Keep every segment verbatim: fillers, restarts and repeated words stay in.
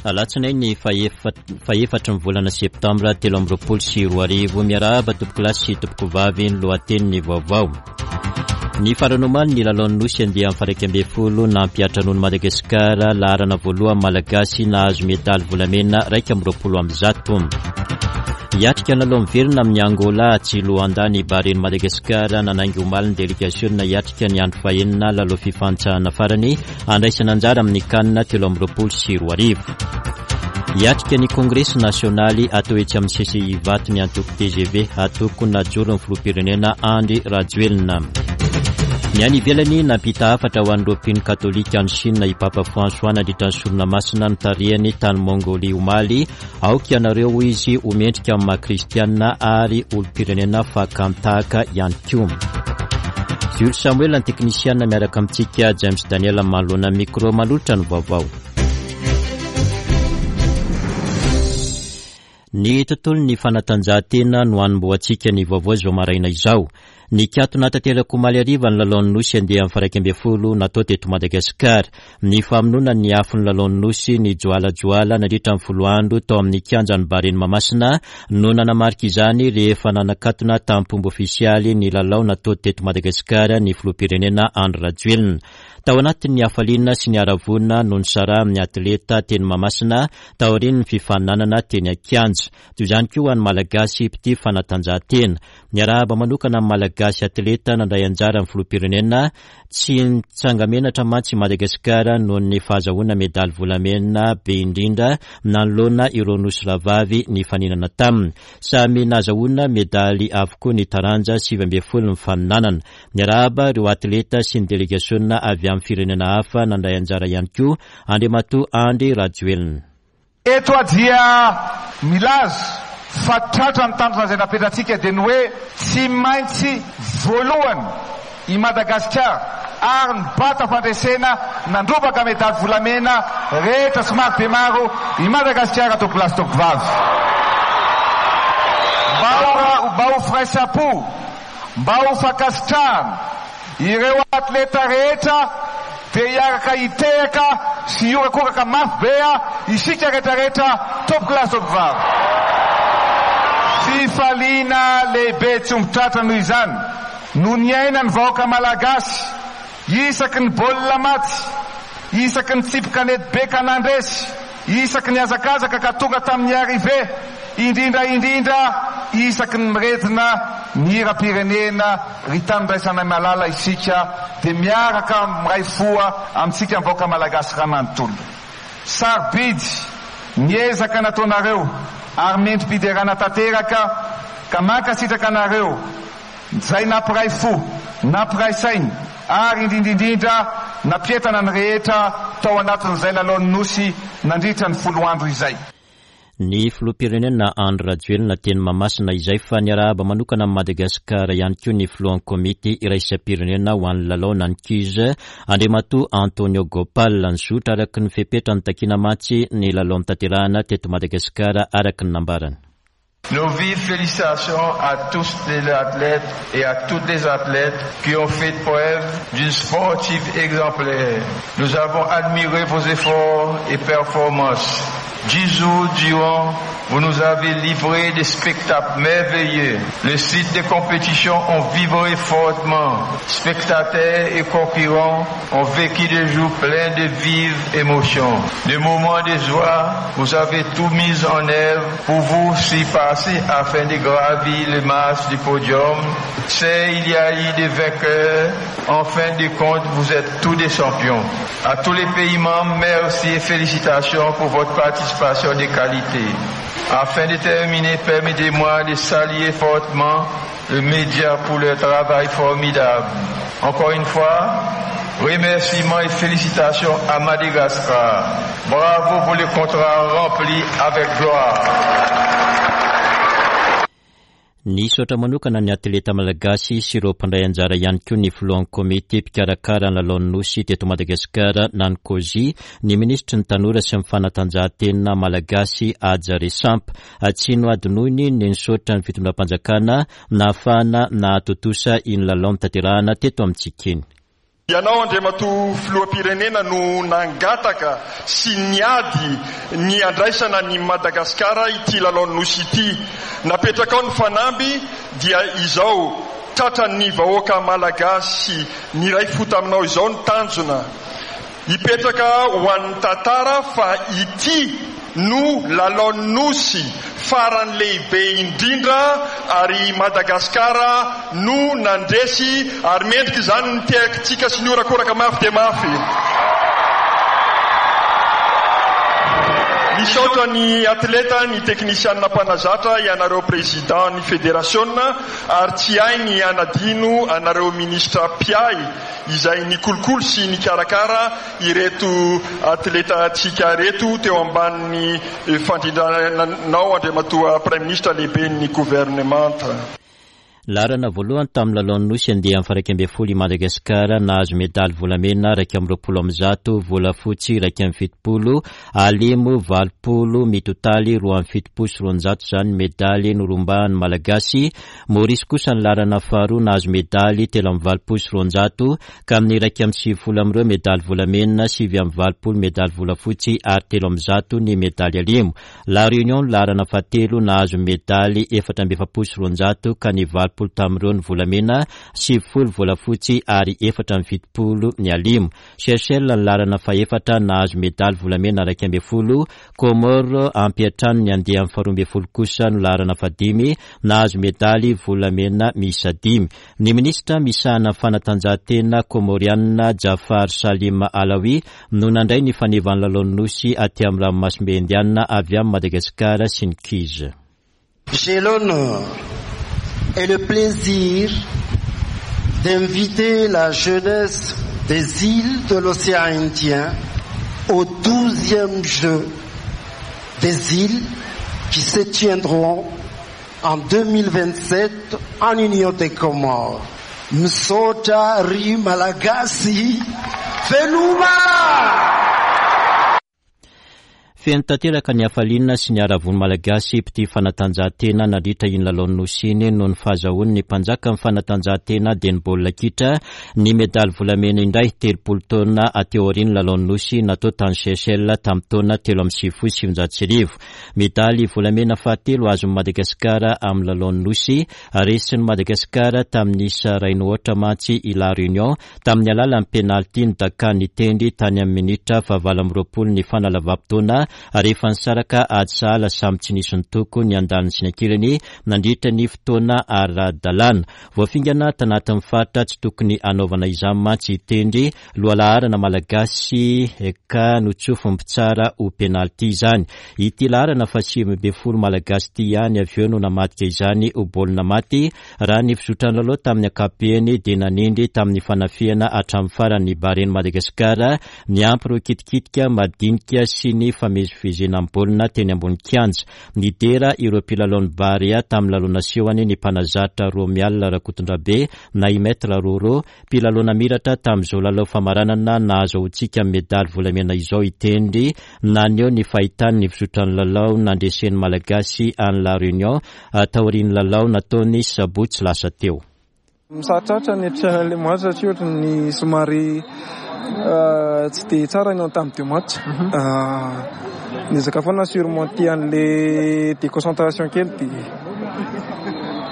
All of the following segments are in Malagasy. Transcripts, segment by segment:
Alatsinainy fahefatry ny volana septambra telo amby roapolo sy roa arivo. Miarahaba tompokolahy sy tompokovavy, ny lohatenin'ny vaovao. Ny farany omaly ny lalaon'ny Nosy andiany faha-iraika ambin'ny folo nampiantranoan'i Madagasikara laharana voalohany Malagasy nahazo medaly volamena iraika amby roapolo amby zato. Hiatrika ny lalao miverina amin'ny Angola atsy Luanda ny Baren'i Madagasikara nanainga omaly ny delegasiona hiatrika ny andro fahenina lalao fifantsahana farany andraisana anjara amin'ny CAN telo amby roapolo sy roa arivo. Hiatrika ny kongresy nasionaly atao etsy amin'ny C C I Ivato ny antoko T G V atoko najoron'ny filoham-pirenena Andry Rajoelina. Ny any ivelany nampita hafatra ho an'ireo mpino katolika any Chine i Papa François nandritra ny sorona masina notarihany tany Mongolia omaly. Aoka ianareo hoy izy ho mendrika amin'ny maha kristianina ary olom-pirenena fakan-tahaka ihany koa. Jules Samuel ny teknisiana miaraka amintsika, James Daniel manoloana micro manolotra ny vaovao. Ny tontolon'ny fanatanjahantena no hanombohantsika ny vaovao izao maraina izao. Nikatona tanteraka omaly hariva ny lalaon'ny Nosy andiany faha-iraika ambin'ny folo natao teto Madagasikara. Ny famonoana ny afon'ny lalaon'ny Nosy ny joalajoala nandritra ny folo andro tao amin'ny kianjan'ny Baren'i Mahamasina no nanamarika izany rehefa nanakatona tamin'ny fomba ofisialy ny lalao natao teto Madagasikara ny filoham-pirenena Andry Rajoelina. Tao anatin'ny hafaliana sy ny haravoana no nisarahan'ny atleta teny Mahamasina taorian'ny fifaninanana teny an-kianja. Toy izany koa ho an'ny Malagasy mpitia fanatanjahantena. Niarahaba manokana amin'ny Malagasy atleta nandray anjara ny filoham-pirenena. Tsy nitsanga-menatra mantsy i Madagasikara noho ny fahazahoana medaly volamena be indrindra nanoloana ireo nosy rahavavy nifaninana taminy. Samy nahazahoana medaly avokoa ny taranja sivy ambin'ny folo nifaninanana. Niarahaba ireo atleta sy ny delegasiona avy amin'ny firenena hafa nandray anjara ihany koa Andriamatoa Andry Rajoelina. Eto aho dia milaza fa tratra ny tanjona izay napetratsika dia ny hoe tsy maintsy voalohany i Madagasikara ary nibata fandresena nandrombaka medaly volamena rehetra sy maro be maro i Madagasikara tompokolahy sy tompokovavy. Mba ho, mba ho firaisam-po, mba ho fankasitrahana ireo atleta rehetra dia hiaraka hitehaka sy hiorakoraka mafy be isika rehetrarehetra tompokolahy sy tompokovavy. Fifaliana lehibe tsy omby tratra noho izany no niaina ny vahoaka malagasy isaky ny baolina maty, isaky ny tsipy kanety be ka nandresy, isaky ny hazakazaka ka tonga tamin'ny arrivée, indrindra indrindra isaky ny miredona ny hiram-pirenena ry tanindraisanay malala isika dia miaraka miray foa amintsika ny vahoaka malagasy raha manontolo. Sarobidy ny ezaka nataonareo ary mendri-piderana tanteraka ka mankasitraka anareo izay nampiray fo, nampiray saina ary indrindra indrindra nampientana ny rehetra tao anatin'izay lalaon'ny Nosy nandritra ny folo andro izay. Ny filoham-pirenena Andry Rajoelina teny Mahamasina izay fa niarahaba manokana amin'i Madagasikara ihany koa ny filohan'ny komity iraisam-pirenena ho an'ny lalao na ny C U S Andriamatoa Antonio Gopal. Nizotra araka ny fepetra nitakiana mantsy ny lalao notanterahina teto Madagasikara araka ny nambarany. Nos vives félicitations à tous les athlètes et à toutes les athlètes qui ont fait preuve d'une sportive exemplaire. Nous avons admiré vos efforts et performances. Dix jours durant, vous nous avez livré des spectacles merveilleux. Les sites de compétition ont vibré fortement. Spectateurs et concurrents ont vécu des jours pleins de vives émotions. Des moments de joie, vous avez tout mis en œuvre pour vous surpasser afin de gravir les marches du podium. C'est, il y a eu des vainqueurs. En fin de compte, vous êtes tous des champions. À tous les pays membres, merci et félicitations pour votre participation de qualité. Afin de terminer, permettez-moi de saluer fortement le média pour leur travail formidable. Encore une fois, remerciements et félicitations à Madagascar. Bravo pour le contrat rempli avec gloire. Nisaotra manokana ny atleta malagasy sy ireo mpandray anjara ihany koa ny filohan'ny komity mpikarakara ny lalaon'ny Nosy teto Madagasikara na ny COSI, ny minisitry ny tanora sy ny fanatanjahantena malagasy Haja Resampa. Tsy nohadinoiny ny nisaotra ny fitondram-panjakana nahafahana nahatontosa iny lalao notanterahina teto amintsika iny. Ianao Andriamatoa filoham-pirenena no nangataka sy niady ny andraisana ny Madagasikara ity lalaon'ny Nosy ity. Napetrakao ny fanamby dia izao tratran'ny vahoaka malagasy niray fo taminao izao ny tanjona. Hipetraka ho an'ny tantara fa ity no lalaon'ny Nosy farany lehibe indrindra ary Madagasikara no nandresy ary mendrika izany ny tehakintsika sy ny horakoraka mafy dia mafy. Misaotra ny atleta, ny teknisianina mpanazatra, ianareo président ny fédération ary tsy hay ny hanadino anareo ministra mpiahy izay nikolokolo sy nikarakara ireto atletatsika reto teo ambanin'ny fandrindranao Andriamatoa Premier ministre lehiben'ny gouvernement. Laharana voalohany tamin'ny lalaon'ny Nosy andiany faha iraika ambin'ny folo i Madagasikara, nahazo medaly volamena iraika amby roapolo amby zato, volafotsy iraika amby fitopolo, alimo valopolo, mitotaly roa amby fitopolo sy roanjato izany medaly norombahan'ny Malagasy. Maurice kosa ny laharana faharoa nahazo medaly telo amby valopolo sy roanjato, ka amin'ny iraika amby sivifolo amin'ireo medaly volamena, sivy amby valopolo medaly volafotsy ary telo amby zato ny medaly alimo. La Réunion ny laharana fahatelo nahazo medaly efatra amby efapolo sy roanjato, ka ny valopolo tamin'ireo ny volamena, sivifolo volafotsy ary efatra amby fitopolo ny alimo. Seychelles ny laharana fahefatra nahazo medaly volamena iraika ambin'ny folo, Comores ampiantrano ny andiany faharoa ambin'ny folo kosa no laharana fahadimy nahazo medaly volamena miisa dimy. Ny minisitra misahana fanatanjahantena Komorianina Jafar Salim Alawi no nandray ny fanevan'ny lalaon'ny Nosy aty amin'ny ranomasimbe Indiana avy amin'ny Madagasikara sy ny Kiza. J'ai l'honneur et le plaisir d'inviter la jeunesse des îles de l'océan Indien au douzième jeu des îles qui se tiendront en deux mille vingt-sept en Union des Comores. Misaotra ry Malagasy, veloma! Feno tanteraka ny hafaliana sy ny haravon'ny Malagasy mpitia fanatanjahantena nandritra iny lalaon'ny Nosy iny noho ny fahazahoany ny mpanjaka amin'ny fanatanjahantena dia ny baolina kitra ny medaly volamena indray telopolo taona aty aorian'ny lalaon'ny Nosy natao tany Seychelles tamin'ny taona telo amby sivifolo sy sivinjato sy arivo. Medaly volamena fahatelo azon'i Madagasikara amin'ny lalaon'ny Nosy, resin'i Madagasikara tamin'ny isa iray no aotra mantsy i La Réunion tamin'ny alalan'ny penalty nodakany tendry tany amin'ny minitra fahavalo amby roapolo ny fanalavam-potoana rehefa nisaraka ady sahala samy tsy nisy nitoko ny andaniny sy ny ankilany nandritra ny fotoana ara-dalàna. Voafingana tanatin'ny faritra tsy tokony hanaovana izany mantsy tendry lohalaharana malagasy ka notsofin'ny mpitsara ho penalty izany. Ity laharana fahasivy ambin'ny folo malagasy ity ihany avy eo no namadika izany ho baolina maty. Raha ny fizotran'ny lalao tamin'ny ankapobeny dia nanindry tamin'ny fanafihana hatramin'ny farany Baren'i Madagasikara niampy ireo kitikitika madinika sy ny famezivezena amin'ny baolina teny ambony kianja. Nidera ireo mpilalaon'ny Barea tamin'ny lalao nasehony ny mpanazatra Romial Rakotondrabe na i Maître Roro, mpilalao namiratra tamin'izao lalao famaranana nahazoantsika medaly volamena izao itendry naneho ny fahitany ny fizotran'ny lalao nandresen'ny Malagasy any La Réunion taorian'ny lalao nataony sabotsy lasa teo. Misarotrarotra ny efitrano ilay match satria ohatry ny somary tsy dia tsara ny entame de match. Niezaka foana surmonter an'ilay déconcentration kely dia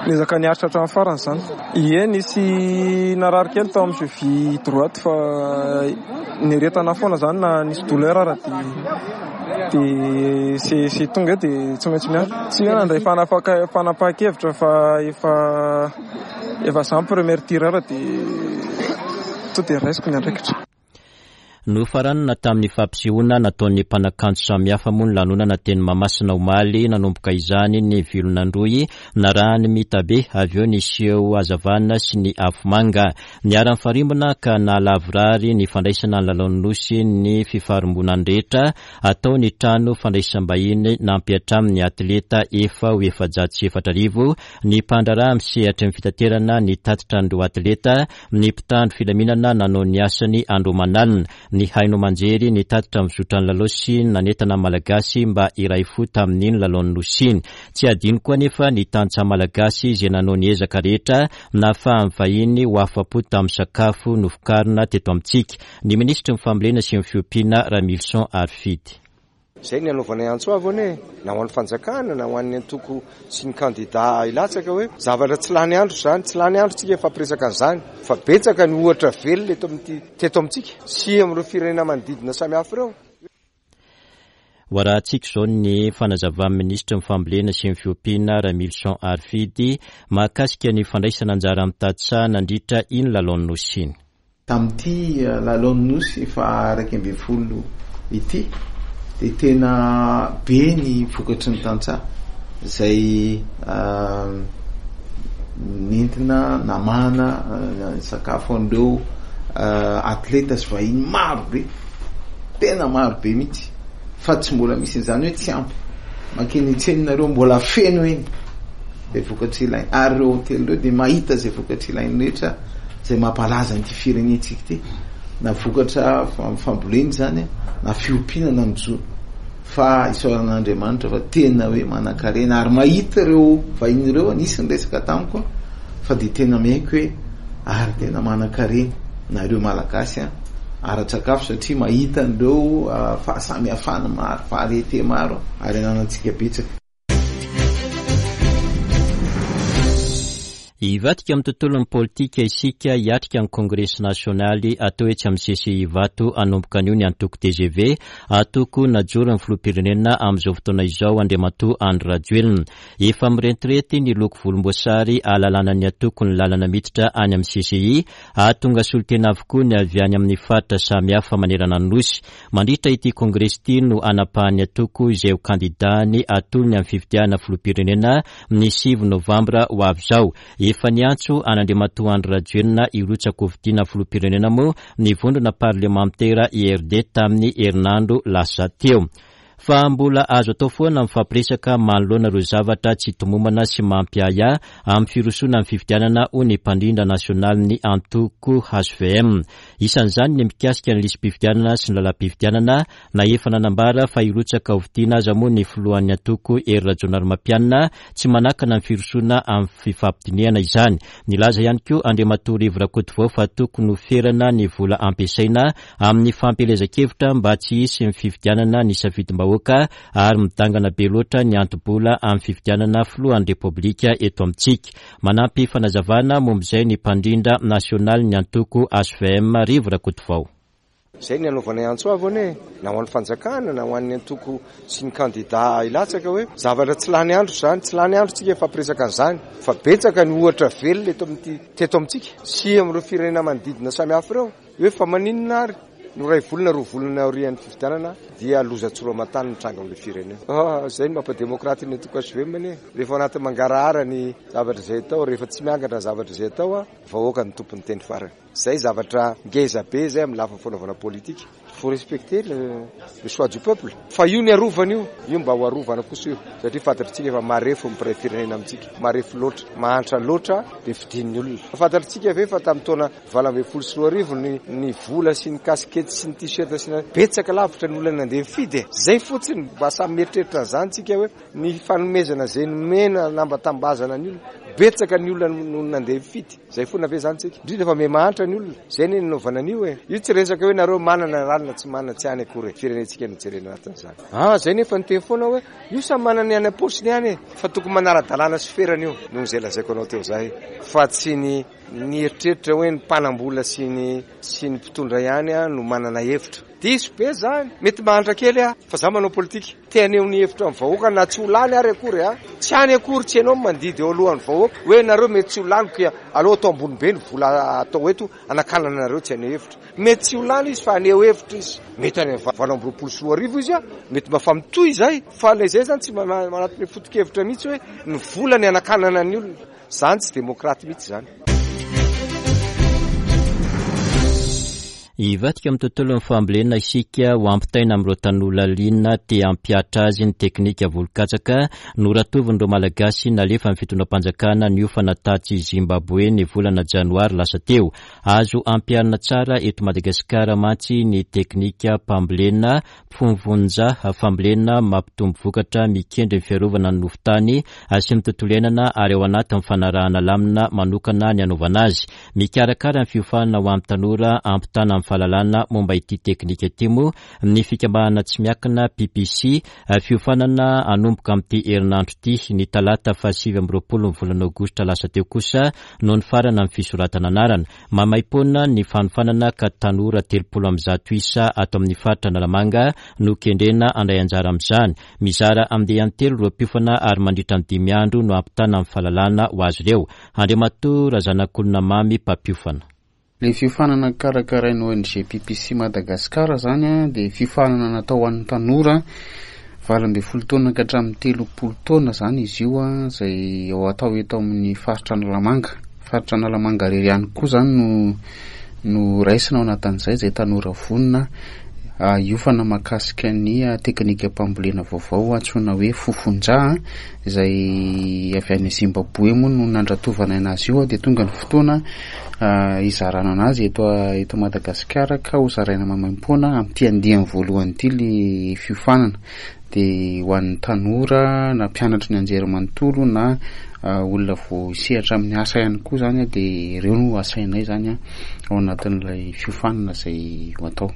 niezaka niaritra hatramin'ny farany izany. Ie, nisy narary kely tao amin'ny cheville droite fa niaretana foana izany na nisy douleur ara dia dia c'est c'est tonga eo dia tsy maintsy miaritra. Tsy hoe nandray fanapaka- fanapahan-kevitra fa efa efa za ny premier tireur dia to dia raisiko ny andraikitra. Nofaranana tamin'ny fampisehoana nataon'ny mpanakanto samihafa moa ny lanonana teny Mahamasina omaly. Nanomboka izany ny vilonandroy narahany mitabe, avy eo ny seho hazavana sy ny afomanga. Niharan'ny farimbona ka nahalavorary ny fandraisana ny lalaon'ny Nosy ny fifarimbonany rehetra atao ny trano fandraisam-bahiny nampiantrano ny atleta efa ho efajato sy efatra arivo, ny mpandraharaha amin'ny sehatry ny fitaterana ny tatitra an'ireo atleta, ny mpitandro filaminana nanao ny asany andro aman'alina. Ny haino aman-jery nitatitra ny fizotran'ny lalao sy nanentana Malagasy mba hiray fo tamin'iny lalaon'ny Nosy iny. Tsy adino koa anefa ny tantsaha Malagasy izay nanao ny ezaka rehetra nahafahan'ny vahiny ho afa-po tamin'ny sakafo novokarina teto amintsika. Ny minisitry ny fambolena sy ny fiompiana Ramilison Harifidy. Izay ny anaovanay antso avo anie, na ho an'ny fanjakana na ho an'ny antoko sy ny kandida hilatsaka hoe zavatra tsy lany andro izany, tsy lany andro tsika hifampiresaka an'izany, fa betsaka ny ohatra velona eto amin'ity teto amintsika sy amin'ireo firenena manodidina samihafa ireo. Ho arahantsika izao ny fanazavan'ny minisitry ny fambolena sy ny fiompiana Ramilison Harifidy mahakasika ny fandraisana anjara amin'ny tantsaha nandritra iny lalaon'ny Nosy iny. Tamin'ity lalaon'ny Nosy faha iraika ambin'ny folo ity dia tena be ny vokatry ny tantsaha izay nentina namahana sakafo an'ireo atleta sy vahiny maro be, tena maro be mihitsy, fa tsy mbola misy an'izany hoe tsy ampy. Mankeny an-tsena nareo mbola feno eny izay vokatry ilainy, ary ireo hotely ireo dia mahita izay vokatry ilainy rehetra izay mampalaza an'ity firenentsika ity, na vokatra fambolena izany, na fiompiana na ny jono. Fa isaoran'Andriamanitra fa tena hoe manan-karena ary mahita ireo vahiny ireo, nisy ny resaka tamiko fa dia tena miaiky hoe ary tena manan-karena nareo Malagasy an, ara-tsakafo satria mahita an'ireo fahasamihafana maro, variété maro ary ananantsika betsaka. Hivadika amin'ny tontolon'ny politika isika hiatrika ny kongresy nasionaly atao etsy amin'ny C C I Ivato hanomboka anio ny antoko T G V, antoko najoron'ny filoham-pirenena amin'izao fotoana izao Andriamatoa Andry Rajoelina. Efa mirentirety ny loko volomboasary ahalalana ny antoko ny lalana miditra any amin'ny C C I, hahatonga solontena avokoa ny avy any amin'ny faritra samihafa manerana ny Nosy. Mandritra ity kongresy ity no hanapahan'ny antoko izay ho kandidany atolony amin'ny fifidianana filoham-pirenena ny sivy novambra ho avy izao. Efa niantso an'Andriamatoa Andry Rajoelina hirotsaka hofidiana filoham-pirenena moa ny vondrona parlemantera I R D tamin'ny herinandro lasa teo. Fa mbola azo atao foana ny fampiresaka manoloana ireo zavatra tsy tomombana sy mampiahiahy amin'ny firosoana amin'ny fifidianana ho ny mpandrindra nasionalin'ny antoko H V M. Isan'izany ny mikasika ny lisi-pifidianana sy ny lalam-pifidianana, na efa nanambara fa hirotsaka hofidiana aza moa ny filohan'ny antoko Hery Rajaonarimampianina, tsy manakana ny firosoana amin'ny fifampidinihana izany. Nilaza ihany koa Andriamatoa Rivo Rakotovao fa tokony ho ferana ny vola ampiasaina amin'ny fampielezan-kevitra mba tsy hisy ny fifidianana ny safidim-bahoaka ary midangana be loatra ny anto-bola amin'ny fifidianana filohan'ny Repoblika eto amintsika. Manampy fanazavana momba izay ny mpandrindra nasionalin'ny antoko H V M Rivo Rakotovao. Izay ny anaovanay antso avo anie, na ho an'ny fanjakana na ho an'ny antoko sy ny kandida hilatsaka hoe zavatra tsy lany andro izany, tsy lany andro tsika hifampiresaka an'izany, fa betsaka ny ohatra velona eto amin'ity teto amintsika sy amin'ireo firenena manodidina samihafa ireo. Hoe fa maninona ary no iray volana roa volana aorian'ny fifidianana dia loza tsy roa aman-tany mitranga amin'ilay firenena. Ah, izay no mampademokraty ny antoko H V M anie. Rehefa anaty mangarahara ny zavatra izay atao, rehefa tsy miangatra ny zavatra izay atao, vahoaka ny tompon'ny teny farany. Izay zavatra ngeza be izay amin'ny lafiny fanaovana politika. Il faut respecter le, le choix du peuple. Fa io ny arovana io, io mba ho arovana kosa io, satria fantatritsika fa marefo ny mpiray firenena amintsika, marefo loatra, mahantra loatra dia fidin'ny olona. Fantatritsika ve fa tamin'ny taona valo ambin'ny folo sy roa arivo ny, ny vola sy ny kasikety sy ny t-shirt sy ny betsaka lavitra ny olona nandeha nifidy e. Zay fotsiny mba samy mieritreritra an'izany tsika hoe ny fanomezana izay nomena nambatambazana ny olona, betsaka ny olona no nandeha nifidy. Zay foana ve zany tsika? Indrindra fa miha-mahantra ny olona. Zay ny nanaovana an'io e. Io tsy resaka hoe nareo manana ralina tsy manana tsy any akory e. Firenentsika no jerena anatin'izany. Ah, zay nefa niteny foana hoe io samy manana ny any am-paosiny ihany e. Fa tokony manara-dalàna sy ferana io noho izay lazaiko anao teo zay. Fa tsy ny nieritreritra hoe ny mpanam-bola sy ny sy ny mpitondra ihany no manana hevitra. Diso be zany. Mety mahantra kely aho fa za manao politika. Te haneho ny hevitra amin'ny vahoaka na tsy ho lany ary akory a. Tsy any akory tsy ianao mandidy eo alohan'ny vahoaka hoe nareo mety tsy ho lany ka aleo atao ambony be ny vola atao eto anakanana anareo tsy haneho hevitra. Mety tsy ho lany izy fa haneho hevitra izy. Mety any amin'ny valo amby roapolo sy roa arivo izy a, mety mba fa mitohy izay. Fa ilay izay zany tsy manatona foto-kevitra mihitsy hoe ny vola ny anakanana ny olona. Zany tsy demokraty mihitsy zany. Hivadika amin'ny tontolon'ny fambolena isika ho ampitaina amin'ireo tanora liana te hampihatra azy ny teknika voly katsaka noratovin'ireo Malagasy nalefa ny fitondram-panjakana niofana tatsy Zimbabwe ny volana janoary lasa teo. Azo ampiharina tsara eto Madagasikara mantsy ny teknika mpambolena fomvonja fambolena mampitombo vokatra mikendry ny fiarovana ny nofon-tany sy ny tontolo iainana ary ao anatin'ny fanarahana lamina manokana ny anaovana azy. Mikarakara ny fiofanana ho amin'ny tanora ampitana amin'ny fahalalana momba ity teknika ity moa ny fikambanana tsy miankina P P C. Fiofanana hanomboka amin'ity herinandro ity ny talata fahasivy amby roapolo ny volana aogositra lasa teo kosa no nifarana ny fisoratana anarana. Maimaimpoana ny fanofanana ka tanora telopolo amby zato isa ato amin'ny faritra Analamanga no kendrena handray anjara amin'izany. Mizara andiany telo ireo mpiofana ary mandritra ny dimy andro no ampitana ny fahalalana ho azy ireo. Andriamatoa Razanakolona Mamy mpampiofana. Le fiofanana karakarain'ny O N G P P C Madagasikara zany a, dia fiofanana natao ho an'ny tanora valo ambin'ny folo taona ka hatramin'ny telopolo taona zany izy io a, izay ao atao eto amin'ny faritra Analamanga. Faritra Analamanga irery ihany koa zany no, no raisina ao anatin'izay, izay tanora vonona hiofana mahakasika ny teknika mpambolena vaovao antsoina hoe fofonja, izay avy any Zimbabwe moa no nandratovana anazy io, dia tonga ny fotoana hizarana anazy eto, eto Madagasikara ka ho zaraina maimaimpoana amin'ity andiany voalohany ity le fiofanana. Dia ho an'ny tanora na mpianatry ny anjerimanontolo na olona vao hisehatra amin'ny asa ihany koa zany, dia ireo no asainay zany ao anatin'ilay fiofanana izay ho atao.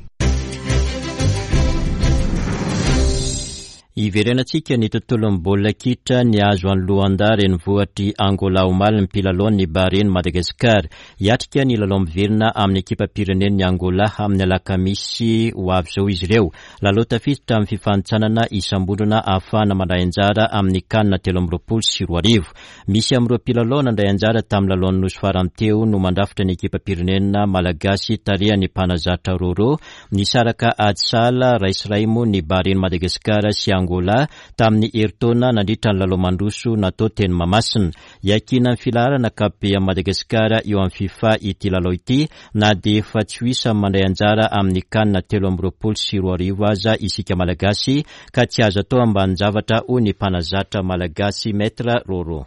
Iverenantsika ny tontolon'ny baolina kitra ny azo an'i Luanda renivohitr'i Angola omaly ny mpilalao ny Bahrain Madagasikara. Hiatrika ny lalao miverina amin'ny ekipam-pirenen'ny Angola amin'ny alakamisy ho avy izao izy ireo. Lalao tafiditra amin'ny fifanintsanana isam-bondrona ahafahana mandray anjara amin'ny C A N telo amby roapolo sy roa arivo. Misy amin'ireo mpilalao nandray anjara tamin'ny lalaon'ny Nosy farany teo no mandrafitra ny ekipam-pirenena malagasy tarihan'ny mpanazatra Roro. Nisaraka ady sahala iray sy iray moa ny Bahrain Madagasikara sy Angola tamin'ny herintaona nandritra ny lalao mandroso natao teny Mahamasina. Iankinan'ny filaharana ankapobe amin'i Madagasikara eo amin'ny FIFA ity lalao ity na dia efa tsy ho isan'ny mandray anjara amin'ny C A N telo amby roapolo sy roa arivo aza isika Malagasy ka tsy azo atao ambanin-javatra hoy ny mpanazatra malagasy Maître Roro.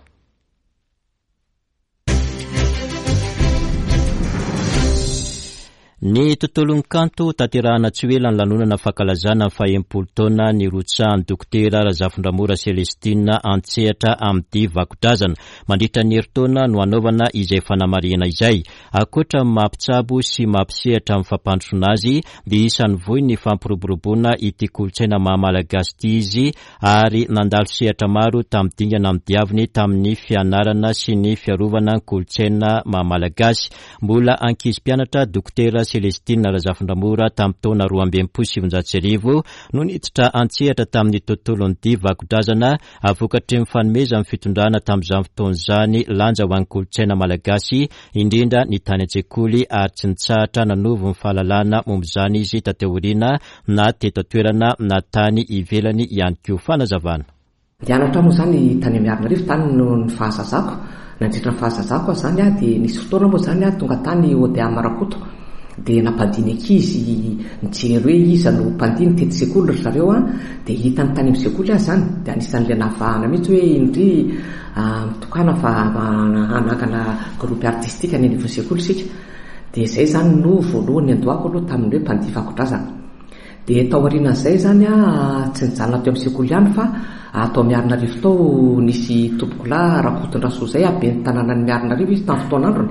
Ny tontolon'ny kanto tanterahana tsy ho ela ny lanonana fankalazana ny fahenimpolo taona ny rotsahan'ny dokotera Razafindramora Celestine an-tsehatra amin'ny dihy vakodrazana. Mandritra ny herintaona no hanaovana izay fanamarihana izay. Ankoatra ny mampitsabo sy mampisehatra amin'ny fampandrosoana azy, dia isan'ny vohy ny fampiroboroboana ity kolontsaina maha malagasy ity izy ary nandalo sehatra maro tamin'ny dingana nodiaviny tamin'ny fianarana sy ny fiarovana ny kolontsaina maha malagasy. Mbola ankizy mpianatra dokotera Celestine Razafindramora tamin'ny taona roa amby enimpolo sy sivinjato sy arivo no niditra an-tsehatra tamin'ny tontolon'ny dihy vakodrazana vokatry ny fanomezan'ny fitondrana tamin'izany fotoana izany lanja ho an'ny kolontsaina malagasy indrindra ny tany an-tsekoly ary tsy nitsahatra nanovo ny fahalalana momba izany izy taty aoriana na teto an-toerana na tany ivelany ihany koa. Fanazavana. Nianatra moa izany tany Miarinarivo tany no ny fahazazako. Nandritra ny fahazazako aho izany dia nisy fotoana moa izany aho tonga tany O D A Marakoto. Dia nampandiny ankizy nijery hoe iza no mpandiny tety sekoly ry zareo a, dia hitany tany amin'ny sekoly aho izany, dia anisan'ilay nahavahana mihitsy hoe indry, ah, mitokana fa hanangana groupe artistique any anivon'ny sekoly isika. Dia izay izany no voalohany niandohako aloha tamin'ny hoe mpandihy vakodrazana. Dia tao aorianan'izay izany a, tsy nijanona teo amin'ny sekoly ihany fa atao Miarinarivo tao nisy tompokolahy Rakotondrasoa izay aben'ny tanànan'ny Miarinarivo izy tamin'ny fotoan'androny,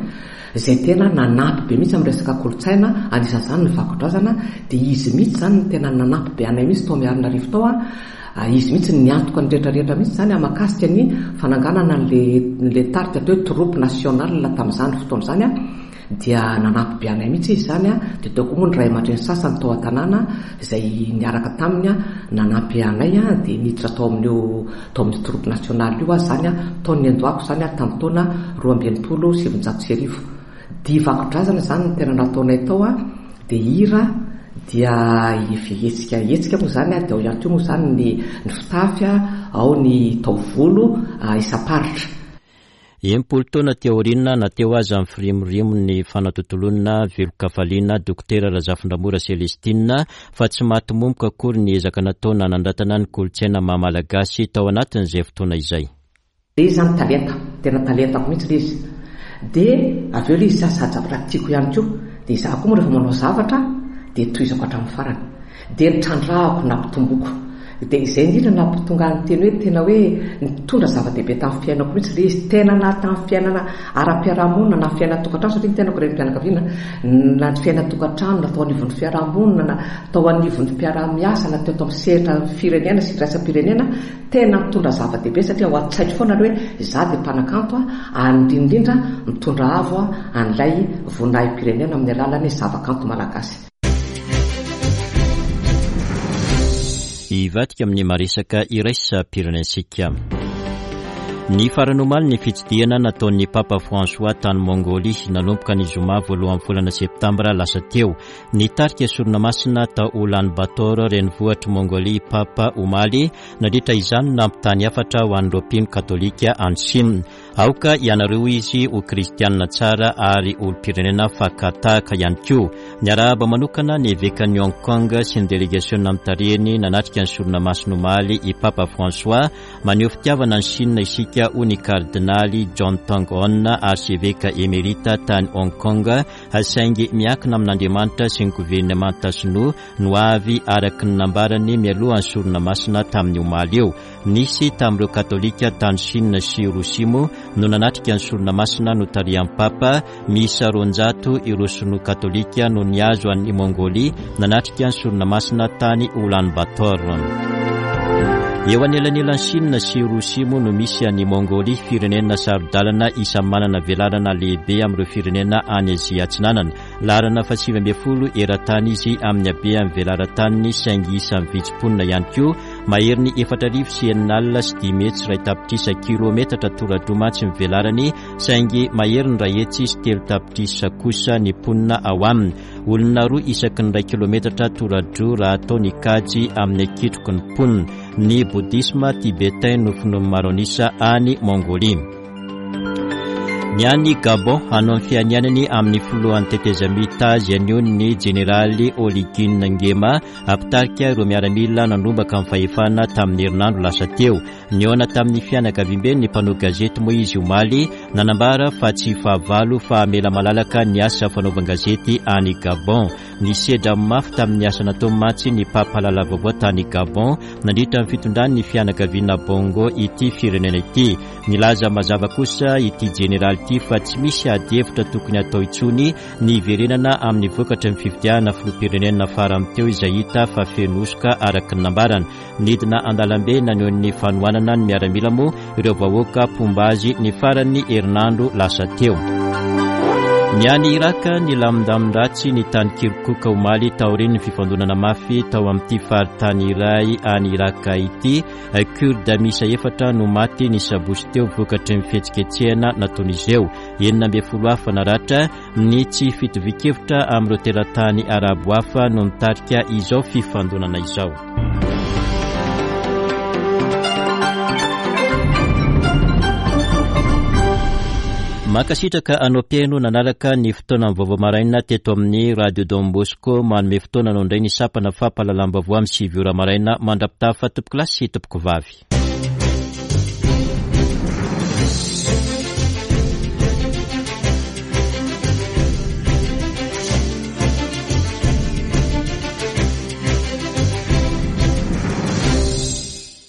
izay tena nanampy be mihitsy amin'ny resaka kolontsaina, anisan'izany ny vakodrazana. Dia izy mihitsy izany no tena nanampy be anay mihitsy tao Miarinarivo tao a. Izy mihitsy no niantoka ny rehetrarehetra mihitsy izany mahakasika ny fananganana an'le, le tarika atao hoe troupe nationale tamin'izany fotoana izany a. Dia nanampy be anay mihitsy izy izany a. Dia teo koa moa ny ray aman-dreny sasany tao an-tanàna izay niaraka taminy a, nanampy anay a, dia niditra tao amin'io, tao amin'ny troupe nationale io aho izany a, tao ny niandohako izany a, tamin'ny taona roa amby enimpolo sy sivinjato sy arivo. Dihy vakodrazana izany no tena nataonay tao a, dia hira, dia hetsika, hetsika moa izany a, dia ao ihany koa moa izany ny, ny fitafy a, ao ny taovolo, a, isam-paritra. Enimpolo taona teo aoriana na teo aza ny firimorimon'ny fanatontoloana velon-kafaliana Dokotera Razafindramora Celestine fa tsy maty momoka akory ny ezaka natao nanandratana ny kolontsaina maha malagasy tao anatin'izay fotoana izay. Ilay izy izany talenta, tena talentako mihitsy ilay izy. Dia avy eo ilay izy sady zavatra tiako ihany koa. Dia izaho koa moa rehefa manao zavatra dia tohizako hatramin'ny farany. Dia nitrandrahako, nampitomboko. Dia izay indrindra nampitonga ny teny hoe tena hoe nitondra zava-dehibe tamin'ny fiainako mihitsy ilay izy. Tena na tamin'ny fiainana ara-piarahamonina na fiainan-tokantrano, satria ny tenako renim-pianakaviana, na ny fiainan-tokantrano na tao anivon'ny fiarahamonina na tao anivon'ny mpiara-miasa na teo tamin'ny sehatra firenena sy iraisam-pirenena, tena mitondra zava-dehibe satria ao an-tsaiko foana ilay hoe izaho dia mpanakanto ary indrindra indrindra mitondra avo an'ilay voninahim-pirenena amin'ny alalan'ny zavakanto malagasy. Hivadika amin'ny maresaka iraisam-pirenentsika. Ny farany omaly ny fitsidihana nataon'ny Papa François tany Mongolia nanomboka ny zoma voalohan'ny volana septambra lasa teo. Nitarika sorona masina tao Ulaanbaatar renivohitr'i Mongolia Papa omaly, nandritra izany nampitany hafatra ho an'ireo mpino katolika any Chine. Aoka ianareo izy ho kristianina tsara ary olom-pirenena fakatahaka ihany koa. Niarahaba manokana ny evekan'i Hong Kong sy ny delegasiona notarihiny nanatrika ny sorona masina omaly i Papa François. Maneho fitiavana ny Chine isika hoy ny kardinaly John Tong On, arseveka emerita tany Hong Kong, saingy miankina amin'Andriamanitra sy ny governemanta sinoa no avy araka ny nambarany mialohan'ny sorona masina tamin'ny omaly eo. Nisy tamin'ireo katolika tany Chine sy Rosia moa no nanatrika ny sorona masina notarihan'ny Papa. Miisa roanjato ireo sinoa katolika no nihazo an'i Mongolia nanatrika ny sorona masina tany Ulaanbaatar. Eo anelanelan'i Chine sy Rosia moa no misy an'i Mongolia, firenena saro-dalana isan'ny manana velarana lehibe amin'ireo firenena any Azia Atsinanana. Laharana fahasivy ambin'ny folo eran-tany izy amin'ny habean'ny velaran-taniny, saingy isan'ny vitsy mponina ihany koa. Maherin'ny efatra arivo sy enina alina sy dimy hetsy iray tapitrisa kilometatra toradroa mantsy ny velarany, saingy maherin'ny iray hetsy sy telo tapitrisa kosa ny mponina ao aminy. Olona roa isaky ny iray kilometatra toradroa raha atao ny kajy amin'ny hakitroky ny mponina. Ny bouddhisme tibétain no finoan'ny maro an'isa any Mongolia. Ny any Gabon, hanao ny fianianany amin'ny filohan'ny tetezamita azy anio ny jeneraly Oligui Nguema, mpitarika ireo miaramila nandrombaka ny fahefana tamin'ny herinandro lasa teo. Nihaona tamin'ny fianakaviambe ny mpanao gazety moa izy omaly, nanambara fa tsy fahavalo fa hamela malalaka ny asa fanaovan-gazety any Gabon. Nisedra mafy tamin'ny asa natao mantsy ny mpampahalala vaovao tany Gabon nandritra ny fitondran'ny fianakaviana Bongo ity firenena ity. Nilaza mazava kosa ity jeneraly ity fa tsy misy ady hevitra tokony atao intsony ny hiverenana amin'ny vokatry ny fifidianana filoham-pirenena farany teo izay hita fa feno hosoka araka ny nambarany. Nidina an-dalambe naneho ny fanohanana ny miaramila moa ireo vahoaka mpomba azy ny faran'ny herinandro lasa teo. Ny any Iraka, nilamindamin-dratsy ny tany Kirkuk omaly taorian'ny fifandonana mafy tao amin'ity faritany iray any Iraka ity. Kurde miisa efatra no maty ny sabotsy teo vokatry ny fihetsiketsehana nataon'izy ireo. Enina ambin'ny folo hafa naratra. Ny tsy fitovian-kevitra amin'ireo teratany arabo hafa no nitarika izao fifandonana izao. Mankasitraka anao mpihaino nanaraka ny fotoana vaovao maraina teto amin'ny Radio Don Bosco. Manome fotoana anao indray ny sampana fampahalalam-baovao amin'ny sivy ora maraina mandra-pitafa tompoko lahy sy tompoko vavy.